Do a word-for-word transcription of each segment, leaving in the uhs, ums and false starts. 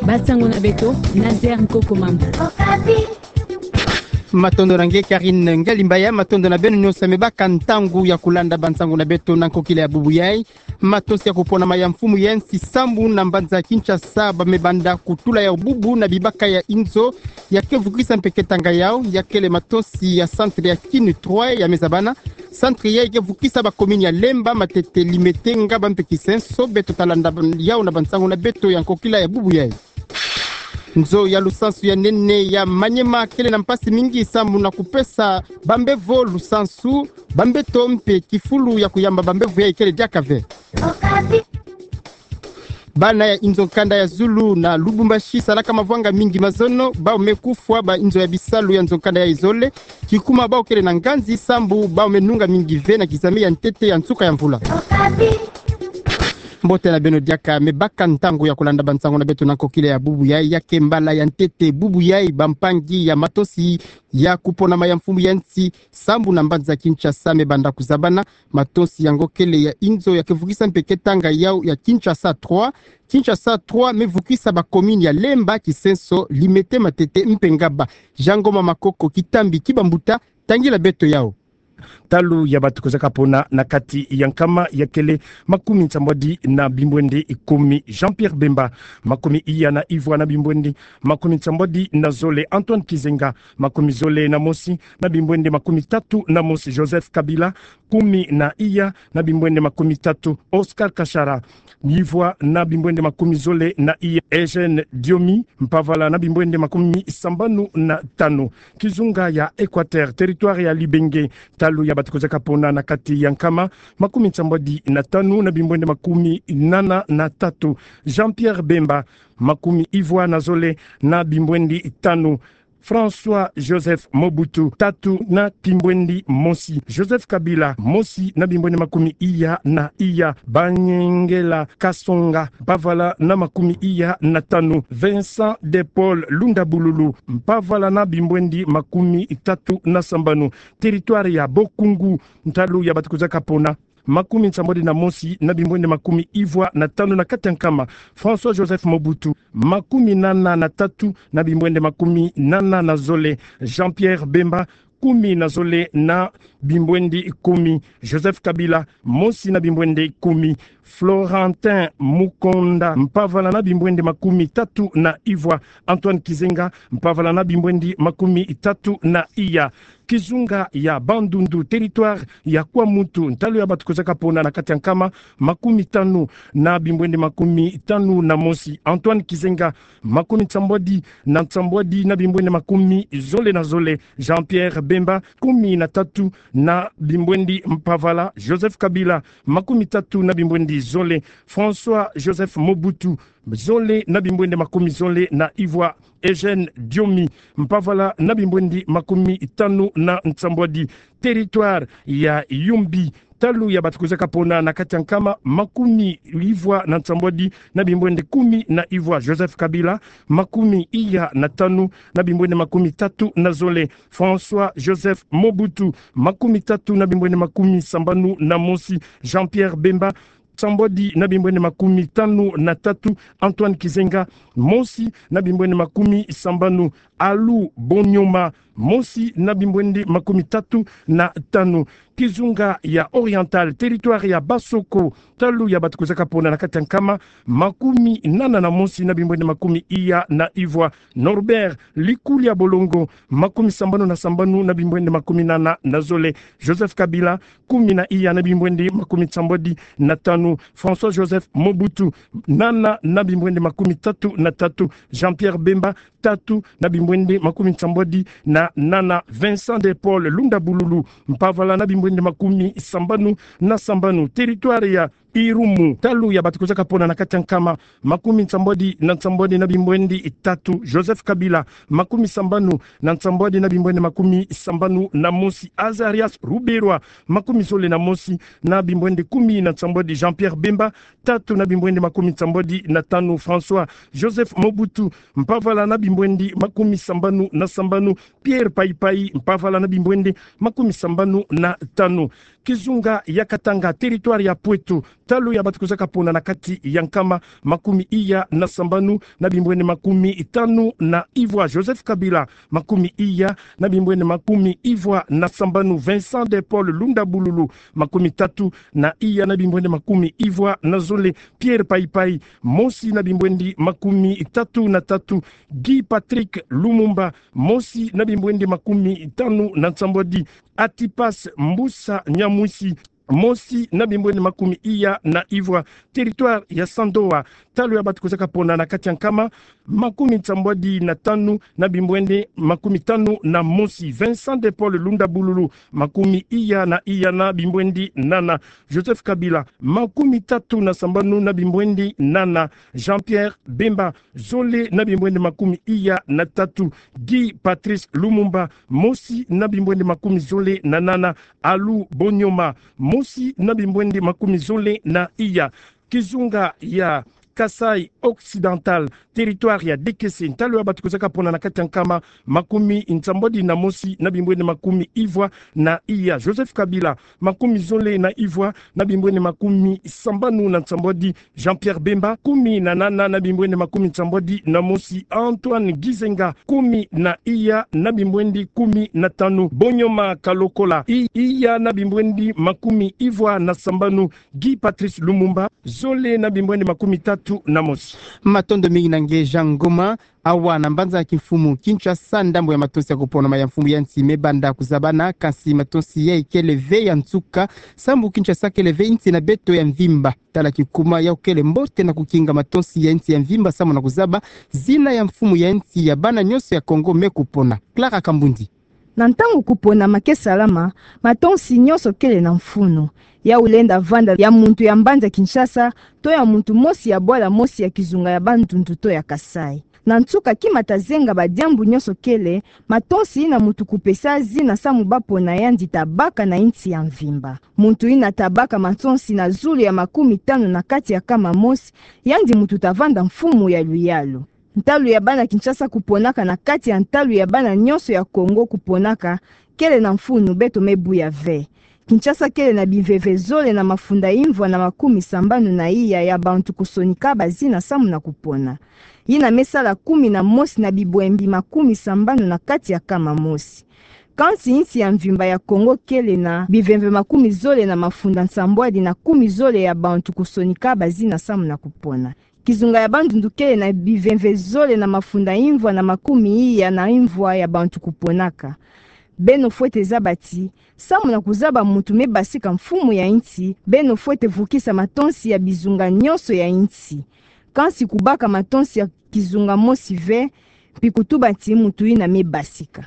Bansango na beto, Nazaire Nkoko Mambu. Matondo na nge Karine Ngalimbaya, matondo na beno nyonso me baka ntangu ya kulanda bansango na beto na nkokila ya bubu yai. Matosi ya kupona ma ya mfumu ya nsi sambu na mbanza Kinshasa ba me banda kutula yau bubu na bibaka ya inzo ya ke vukisa mpe ketanga yau, ya kele matosi ya centre ya Kin trois ya me zabana. Centre yai ke vukisa ba commune ya Lemba, Matete, Limete, Ngaba mpe Kisenso. Beto ta landa ban-, yau na bansango na beto ya nkokila ya bubu yai. Nzo ya lusansu ya nene ya Maniema kele na mpasi mingi sambu na kupesa bambevo lusansu, bambeto mpe kifulu ya kuyamba bambevo yai kele diaka ve. Bana ya inzo nkanda ya zulu na Lubumbashi salaka mavwanga mingi mazono, bau me kufwa ba inzo ya bisalu ya nzo nkanda ya izole, kikuma bau kele na nganzi sambu bau me nunga mingi ve na kizame ya ntete ya nsuka ya mvula. Mbote na beno diaka, me baka ntangu ya kulanda bansango na beto na nkokila ya bubu yai. Ya ke mbala ya ntete bubu yai bampangi ya matosi ya kupona ma ya mfumu ya nsi sambu na mbanza Kinshasa me banda kuzabana. Matosi yango kele ya inzo ya ke vukisa mpe ketanga yau ya Kinshasa trois. Kinshasa trois me vukisa ba commune ya Lemba, Kisenso, Limete, Matete mpe Ngaba. Jean Ngoma Makoko, Kitambi ki bambuta, tangila beto yau. Ntalu ya batu kozaka pona na kati ya nkama ya kele makumi nsambwadi na bimbwende kumi, Jean-Pierre Bemba, makumi iya na ivwa na bimbwende makumi nsambwadi na zole, Antoine Kizenga, makumi zole na mosi na bimbwende makumi tatu na mosi, Joseph Kabila, kumi na iya na bimbwende makumi tatu, Oscar Kashara, ivwa na bimbwende makumi zole na iya, Eugène Diomi, mpavala na bimbwende makumi sambanu na tanu. Kizunga ya Equateur, territoire ya Libenge, ntalu ya batu kozaka pona na kati ya nkama, makumi nsambwadi na tanu na bimbwende makumi nana na tatu, Jean-Pierre Bemba, makumi ivwa na zole na bimbwende tanu, François Joseph Mobutu, tatu na bimbwende mosi, Joseph Kabila, mosi na bimbwende makumi iya na iya, Banyengela Kasonga, mpavala na makumi iya na tanu, Vincent de Paul Lunda Bululu, mpavala na bimbwende makumi tatu na sambanu, territoire ya Bokungu, ntalu ya batu kozaka pona, makumi nsambwadi na mosi na bimbwende makumi ivwa na tanu na kati ya nkama, François Joseph Mobutu, makumi nana na tatu na bimbwende makumi nana na zole, Jean-Pierre Bemba, kumi na zole na bimbwende kumi, Joseph Kabila, mosi na bimbwende kumi, Florentin Mukonda, mpavala na bimbwende makumi tatu na ivwa, Antoine Kizenga, mpavala na bimbwende makumi tatu na iya. Kizunga ya Bandundu, territoire ya Kwamutu, ntalu ya batu kozaka pona na kati ya nkama, makumi tanu na bimbwende makumi tanu na mosi, Antoine Kizenga, makumi nsambwadi na nsambwadi na bimbwende makumi zole na zole, Jean-Pierre Bemba, kumi na tatu na bimbwende mpavala, Joseph Kabila, makumi tatu na bimbwende zole, François Joseph Mobutu, zole na bimbwende makumi zole na ivwa, Eugène Diomi, mpavala na bimbwende makumi tanu na nsambwadi, territoire ya Yumbi, ntalu ya batu kozaka pona na kati ya nkama, makumi ivwa na nsambwadi na bimbwende kumi na ivwa, Joseph Kabila, makumi iya na tanu na bimbwende makumi tatu na zole, François Joseph Mobutu, makumi tatu na bimbwende makumi sambanu na mosi, Jean-Pierre Bemba, nsambwadi na bimbwende makumi tanu na tatu, Antoine Kizenga, mosi na bimbwende makumi sambanu, Alu Bonyoma, mosi na bimbwende makumi tatu na tanu. Kizunga ya Oriental, territoire ya Basoko, ntalu ya batu kozaka pona na kati ya nkama, makumi nana na mosi na bimbwende makumi iya na ivwa, Norbert Likulia Bolongo, makumi sambanu na sambanu na bimbwende makumi nana na zole, Joseph Kabila, kumi na iya na bimbwende makumi nsambwadi na tanu, François Joseph Mobutu, nana na bimbwende makumi tatu na tatu, Jean-Pierre Bemba, tatu na bimbwende makumi nsambwadi na nana, Vincent de Paul Lunda Bululu, mpavala na bimbwende makumi sambanu na sambanu, territoire ya Irumu, ntalu ya batu kozaka pona na kati ya nkama, makumi nsambwadi na nsambwadi na bimbwende tatu, Joseph Kabila, makumi sambanu na nsambwadi na bimbwende makumi sambanu na mosi, Azarias Ruberwa, makumi zole na mosi na bimbwende kumi na nsambwadi, Jean-Pierre Bemba, tatu na bimbwende makumi nsambwadi na tanu, François Joseph Mobutu, mpavala na bimbwende makumi sambanu na sambanu, Pierre Paipai, mpavala na bimbwende makumi sambanu na tanu. Kizunga ya Katanga, territoire ya Pointe, ntalu ya bato kozaka pona na kati ya nkama, makumi iya na sambanu na bimbwene makumi tanu na ivwa. Joseph Kabila, makumi iya na bimbwene makumi ivwa na sambanu. Vincent de Paul Lunda Bululu, makumi tatu na iya na bimbwene makumi ivwa na zole. Pierre Paipai, mosi na bimbwene makumi tatu na tatu. Guy Patrick Lumumba, mosi na bimbwene makumi tanu na nsambwadi. Atipas Mbusa Nyamwisi, mosi na bimbwene makumi iya na ivwa. Territoire ya Sandoa, ntalu ya bato kozaka pona na kati ya nkama, makumi nsambwadi na tanu na bimbwene makumi tanu na mosi. Vincent de Paul Lunda Bululu, makumi iya na iya na bimbwene nana. Joseph Kabila, makumi tatu na sambanu na bimbwene nana. Jean-Pierre Bemba, zole na bimbwene makumi iya na tatu. Guy Patrice Lumumba, mosi na bimbwene makumi zole na nana. Alu Bonioma, mosi na bimbwene makumi zole na iya. Kizunga ya Kasaï Occidental, territoire ya Dékessé, ntalu ya bato kozaka pona na kati ya nkama, makumi nsambwadi na mosi na bimbwene makumi ivwa na iya. Joseph Kabila, makumi zole na ivwa na bimbwene makumi sambanu na nsambwadi. Jean-Pierre Bemba, kumi na nana na bimbwene makumi nsambwadi na mosi. Antoine Gizenga, kumi na iya na bimbwene kumi na tanu. Bonioma Kalokola, i-, iya na bimbwene makumi ivwa na sambanu. Guy Patrice Lumumba, zole na bimbwene makumi tatu na mosi. Matondo mingi na nge Jean Ngoma. Awa na mbanza ya kimfumu Kinshasa, ndambo ya matonsi ya kuponama ya mfumu ya nsi mebanda kuzabana, kansi matonsi yayi kele ve ya nsuka, sambu Kinshasa kele ve insi na beto ya mvimba. Tala kikuma yawu kele mbote na kukinga matonsi ya insi ya mvimba samu na kuzaba zina ya mfumu ya insi ya bana nyonso ya Kongo me kupona. Clara Kambundi. Na ntangu kuponama ke salama, matonsi nyonso kele na mfunu. Yawu lenda vanda ya muntu ya mbanza Kinshasa, to ya muntu mosi ya bwala mosi ya kizunga ya Bandundu to ya Kasaï. Na nsuka kima ta zenga badiambu nyonso kele, matonsi yina muntu kupesa zina samu bapona yandi ta baka na insi ya mvimba. Muntu yina ta baka matonsi na zulu ya makumi tanu na kati ya nkama mosi, yandi muntu ta vanda mfumu ya luyalu. Ntalu ya bana Kinshasa kuponaka na kati ya ntalu ya bana nyonso ya Kongo kuponaka, kele na mfunu, beto me buya ve. Kinshasa kele na bimvemve zole na mafunda imvwa na makumi sambanu na iya ya bantu kusonika bazina samu na kupona. Yina me sala kumi na mosi na bibwembi makumi sambanu na kati ya nkama mosi. Kansi insi ya mvimba ya Kongo kele na bimvemve makumi zole na mafunda nsambwadi na kumi zole ya bantu kusonika bazina samu na kupona. Kizunga ya Bandundu kele na bimvemve zole na mafunda imvwa na makumi iya na imvwa ya bantu kuponaka. Beno fwete zaba ti, samu na kuzaba muntu me basika mfumu ya insi, beno fwete vukisa matonsi ya bizunga nyonso ya insi. Kansi kubaka matonsi ya kizunga mosi ve, mpi kutuba ti muntu yina me basika.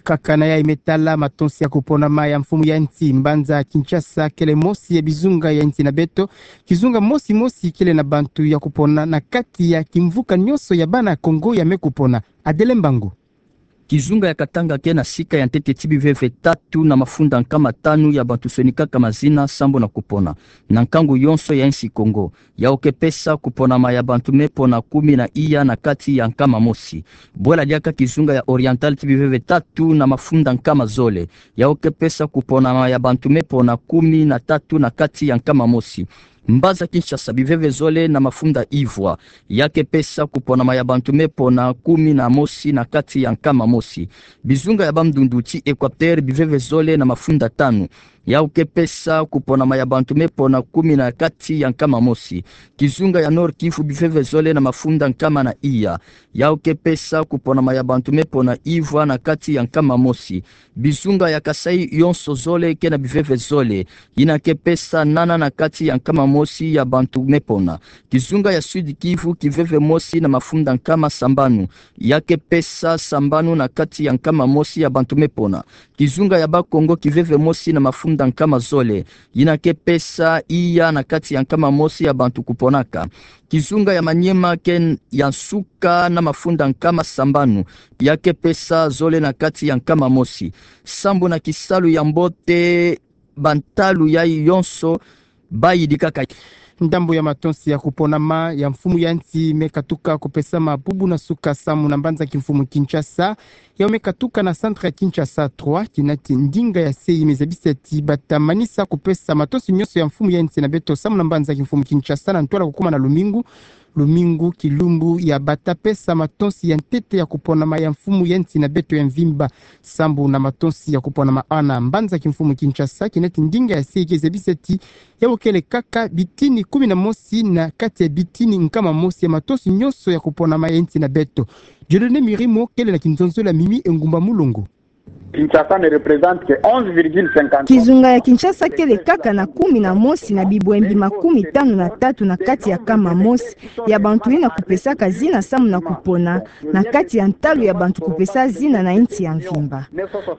Kaka na yayi me tala matonsi ya kuponama ya mfumu ya insi, mbanza Kinshasa kele mosi ya bizunga ya insi na beto. Kizunga mosi mosi kele na bantu ya kupona na kati ya kimvuka nyonso ya bana Kongo ya me kupona. Adele Mbangu. Kizunga ya Katanga ke na sika ya ntete ti bimvemve tatu na mafunda nkama tanu ya bantu sonikaka mazina sambu na kupona na nkangu yonso ya insi Kongo. Yawu ke pesa kuponama ya bantu me pona kumi na iya na kati ya nkama mosi. Bwela diaka kizunga ya Oriental ti bimvemve tatu na mafunda nkama zole. Yawu ke pesa kuponama ya bantu me pona kumi na tatu na kati ya nkama mosi. Mbanza Kinshasa, bimvemve zole na mafunda imvwa. Ya ke pesa kuponama ya bantu me pona kumi na mosi na kati ya nkama mosi. Bizunga ya Bandundu ti Equateur, bimvemve zole na mafunda tanu. Yawu ke pesa kuponama ya bantu me pona kumi na kati ya nkama mosi. Kizunga ya Nord-Kivu, bimvemve zole na mafunda nkama na iya. Yawu ke pesa kuponama ya bantu me pona imvwa na kati ya nkama mosi. Bizunga ya Kasaï yonso zole ke na bimvemve zole. Yina ke pesa nana na kati ya nkama mosi ya bantu me pona. Kizunga ya Sud-Kivu, kimvemve mosi na mafunda nkama sambanu. Ya ke pesa sambanu na kati ya nkama mosi ya bantu me pona. Kizunga ya Bas-Congo, kimvemve mosi na mafunda nkama zole. Yina ke pesa iya na kati ya nkama mosi ya bantu kuponaka. Kizunga ya Maniema ke ya nsuka na mafunda nkama sambanu. Ya ke pesa zole na kati ya nkama mosi. Sambu na kisalu ya mbote, bantalu yayi yonso bayidikaka. Ndambu ya matonsi ya kuponama ya mfumu ya nsi me katuka kupesama bubu na suka samu na mbanza kimfumu Kinshasa. Yawu me katuka na centre ya Kinshasa trois, kinati ndinga ya sei me zabisa ti bata manisa kupesa matonsi nyonso ya mfumu ya nsi na beto samu na mbanza kimfumu Kinshasa na ntwala kukuma na lumingu. Lumingu kilumbu ya bata pesa matonsi ya ntete ya kuponama ya mfumu ya nsi na beto ya mvimba. Sambu na matonsi ya kuponama ana mbanza kimfumu Kinshasa, kinati ndinga ya sei ke zabisa ti yawu kele kaka bitini kumi na mosi na kati ya bitini nkama mosi ya matonsi nyonso ya kuponama ya nsi na beto. Dieudonné Mirimo kele na kinzonzolo ya Mimi Engumba Mulongo. Kinshasa ne représente que onze virgule cinquante. Kizunga ya Kinshasa kele kaka na kumi na mosi na bibwembi makumi tanu na tatu na kati ya kama mosi ya bantu yina kupesaka zina samu na kupona na kati ya ntalu ya bantu kupesa zina na nsi ya mvimba.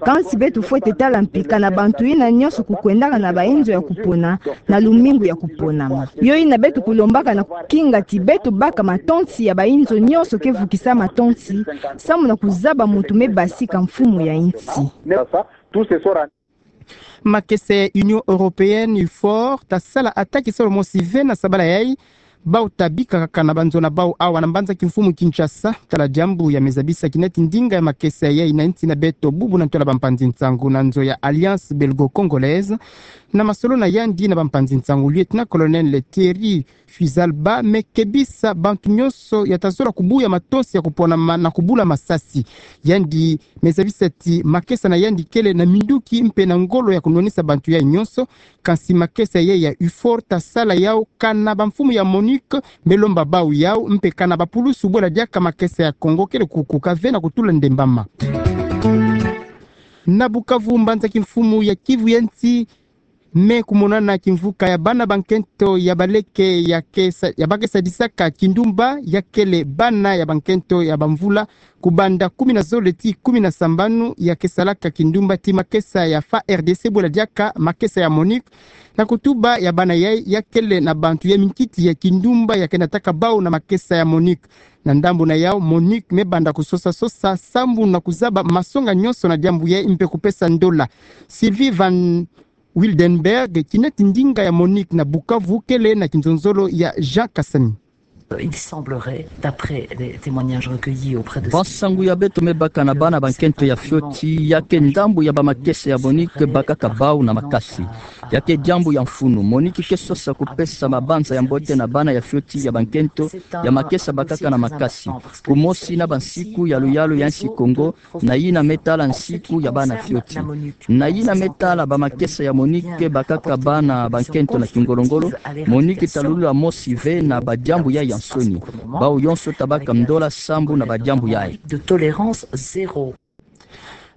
Kansi beto fwete tala mpika na bantu yina nyonso kukwendaka na bainzo ya kupona na lumingu ya kuponama. Yo yina beto kulombaka na kukinga ti beto baka matonsi ya bainzo nyonso ke vukisa matonsi samu na kuzaba muntu me basika mfumu ya nsi. Makesa ya Union Européenne, UFOR, ta sala attaque solo mosi ve na sabala yayi. Bawu ta bika kaka na banzo na bawu awa na mbanza kimfumu Kinshasa. Tala diambu ya me zabisa kinati ndinga ya makesa yayi na nsi na beto bubu na ntwala bampanzi nsangu na nzo ya Alliance Belgo-Congolaise. Na masolo na yandi na bampanzi nsangu, lieutenant-colonel Thierry Fizalba me kebisa bantu nyonso ya ta zola kubuya matonsi ya kuponama na kubula masasi. Yandi me zabisa ti makesa na yandi kele na minduki mpe na ngolo ya kunwanisa bantu yayi nyonso. Kansi makesa yayi ya UFOR ta sala yawu kana bamfumu ya MONUC me lomba bawu yawu mpe kana bapulusu bwela diaka makesa ya Congo kele kukuka ve na kutula ndembama. Na Bukavu, mbanza kimfumu ya Kivu ya nsi me kumonana kimvuka ya bana bankento ya baleke ya ke sa-, ya ba ke sadisaka kindumba, ya kele bana ya bankento ya bamvula kubanda kumi na zole tii kumi na sambanu, ya ke salaka kindumba ti makesa ya F A R D C bwela diaka makesa ya MONUC. Na kutuba ya bana yayi, ya kele na bantu ya minkiti ya kindumba ya ke nataka bawu na makesa ya MONUC. Na ndambu na yawu, MONUC me banda kusosa-sosa sambu na kuzaba masonga nyonso na diambu yayi mpe kupesa ndola. Sylvie Van Wildenberg, kinati ndinga ya MONUC na Bukavu, kele na kinzonzolo ya Jean Kasami. Il semblerait, d'après les témoignages recueillis auprès de... Bansangu ya beto me baka na bana bankento ya fioti, ya ke ndambu ya bamakesa ya MONUC bakaka bawu na makasi. Ya ke diambu ya mfunu. MONUC ke sosa kupesa mabanza ya mbote na bana ya fioti ya bankento ya makesa bakaka na makasi. Kumosi na bansiku ya luyalu ya nsi Kongo, na yina me tala nsiku ya bana fioti. Na yina me tala bamakesa ya MONUC bakaka bana bankento na kingolo-ngolo, MONUC ta lulula mosi ve na badiambu yayi ya nsoni. Bawu yonso ta baka ndola sambu na badiambu yayi. De tolérance zéro.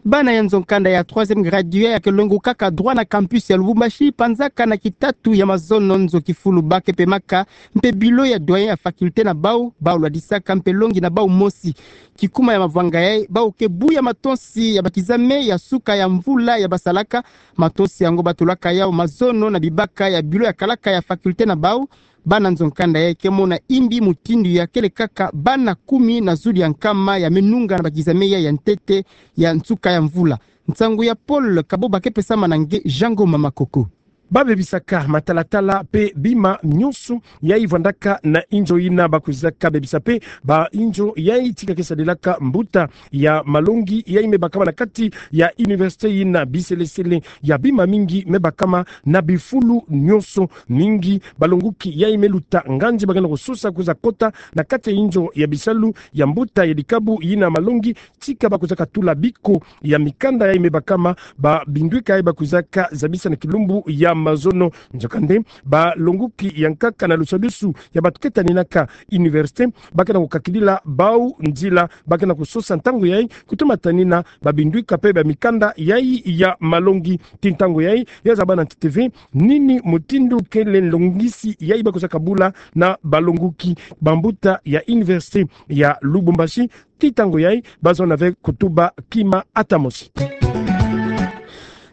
Bana ya nzo-nkanda ya troisième gradué ya ke longukaka droit na campus ya Lubumbashi, panzaka na kitatu ya mazono nzo kifulu ba ke pemaka, mpe bureau ya doyen ya faculté na bawu, bawu lwadisaka mpe longi na bawu mosi. Kikuma ya mavwanga yayi, bawu ke buya matonsi ya bakizame ya suka ya mvula ya basalaka. Matonsi yango ba tolaka yawu mazono na bibaka ya bureau ya kalaka ya faculté na bawu. Bana nzo-nkanda yayi ke mona imbi mutindu ya kele kaka bana kumi na zulu ya nkama ya me nunga na bakizame yayi ya ntete ya nsuka ya mvula. Nsangu ya Paul Kaboba ke pesama na nge Jango Mama Koko. Ba bebisaka matalatala mpe bima nyonso yayi vwandaka na inzo yina ba kwizaka bebisa mpe ba inzo yayi tika ke sadilaka mbuta ya malongi yayi me bakama na kati ya université yina. Biselesele ya bima mingi me bakama na bifulu nyonso. Mingi balonguki yayi me luta nganzi ba ke na kusosa kwiza kota na kati ya inzo ya bisalu ya mbuta ya dikabu yina malongi, tika ba kwizaka tula biko ya mikanda yayi me bakama, ba bindwika yayi ba kwizaka zabisa na kilumbu ya mazono. Nzokande, balonguki ya nkaka na lusadusu ya bato ke taninaka université ba ke na kukakidila bawu nzila ba ke na kusosa ntangu yayi kutoma tanina ba bindwika mpe ba mikanda yayi ya malongi. Tii ntangu yayi, ya zaba na ntete ve nini mutindu kele nlongisi yayi ba kwizaka bula na balonguki bambuta ya université ya Lubumbashi. Tii ntangu yayi, ba zona ve kutuba kima ata mosi.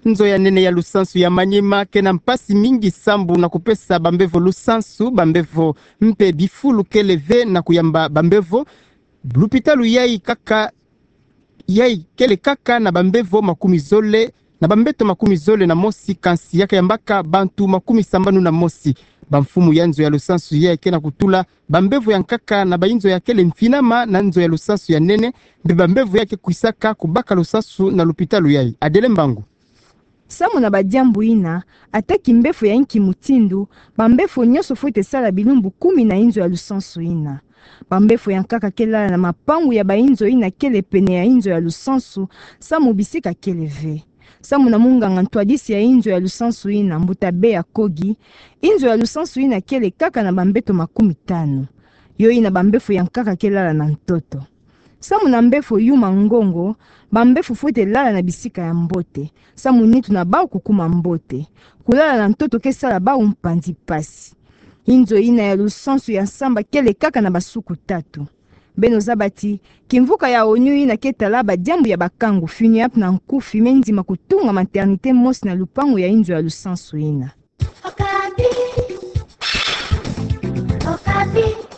Nzo ya nene ya lusansu ya Maniema ke na mpasi mingi sambu na kupesa bambevo lusansu, bambevo mpe bifulu kele ve na kuyamba bambevo. Lupitalu yayi kaka, yayi kele kaka na bambevo makumi zole na bambeto makumi zole na mosi, kansi ya kayambaka bantu makumi sambanu na mosi. Bamfumu ya nzo ya lusansu yayi ke na kutula bambevo ya nkaka na bainzo ya kele mfinama na nzo ya lusansu ya nene, mpe bambevo ya ke kwisaka kubaka lusansu na lupitalu yayi. Adele Mbangu. Samu na badiambu ina, ata kimbefo ya inki mutindu, bambefo nyonso fwete sala bilumbu kumi na inzo ya lusansu ina. Bambefo ya nkaka ke lala na mapangu ya bainzo ina kele pene ya inzo ya lusansu, samu bisika kele ve. Samu na munganga ntwadisi ya inzo ya lusansu ina, mbuta Bea Kogi, inzo ya lusansu ina kele kaka na bambeto makumi tanu. Yo ina bambefo ya nkaka ke lala na ntoto. Samu na mbefo yuma ngongo, bambefo fwete lala na bisika ya mbote, samu nitu na bau kukuma mbote. Kulala na ntoto ke sala bau mpanzi mpasi. Inzo ina ya lusansu ya nsamba kele kaka na basuku tatu. Beno zaba ti, kimvuka ya onu ina ke tala badiambu ya bakangu, FINUAP na nkufi me ndima kutunga maternité mosi na lupangu ya inzo ya lusansu ina. Okapi. Okapi.